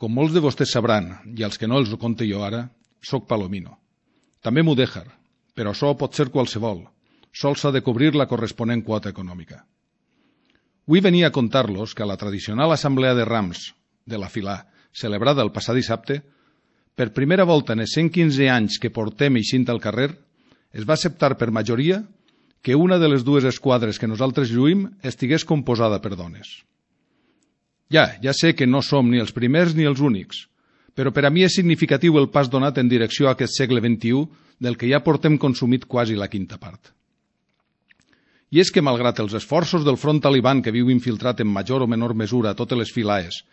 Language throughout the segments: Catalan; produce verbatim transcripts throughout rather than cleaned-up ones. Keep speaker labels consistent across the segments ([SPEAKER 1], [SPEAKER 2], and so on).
[SPEAKER 1] Com molts de vostès sabran, i els que no els ho conte jo ara, soc palomino. També mudèjar, però això pot ser qualsevol. Sols s'ha de cobrir la corresponent quota econòmica. Vull venir a contar-los que a la tradicional assemblea de rams de la Filà, celebrada el passat dissabte, per primera volta en els cent quinze anys que portem eixint al carrer, es va acceptar per majoria que una de les dues esquadres que nosaltres lluïm estigués composada per dones. Ja, ja sé que no som ni els primers ni els únics, però per a mi és significatiu el pas donat en direcció a aquest segle vint-i-u del que ja portem consumit quasi la quinta part. I és que, malgrat els esforços del front taliban que viu infiltrat en major o menor mesura a totes les filaes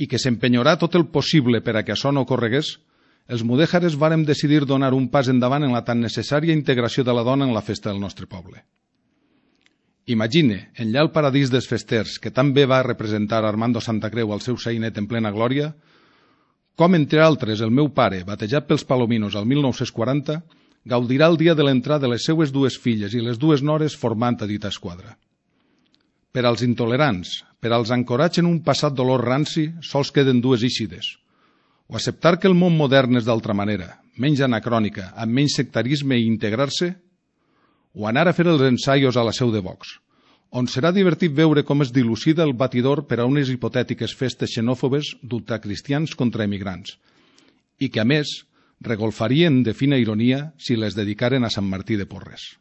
[SPEAKER 1] i que s'empenyarà tot el possible per a que això no ocorregués, els mudèjares vàrem decidir donar un pas endavant en la tan necessària integració de la dona en la festa del nostre poble. Imagine, enllà el paradís dels festers, que tan bé va representar Armando Santacreu al seu sainet en plena glòria, com, entre altres, el meu pare, batejat pels palominos al mil nou-cents quaranta, gaudirà el dia de l'entrada de les seues dues filles i les dues nores formant a dita esquadra. Per als intolerants, per als ancorats en un passat dolor ranci, sols queden dues eixides. O acceptar que el món modern és d'altra manera, menys anacrònica, amb menys sectarisme i integrar-se, o anar a fer els ensaios a la seu de Vox, on serà divertit veure com es dilucida el batidor per a unes hipotètiques festes xenòfobes d'ultracristians contra emigrants, i que, a més, regolfarien de fina ironia si les dedicaren a Sant Martí de Porres.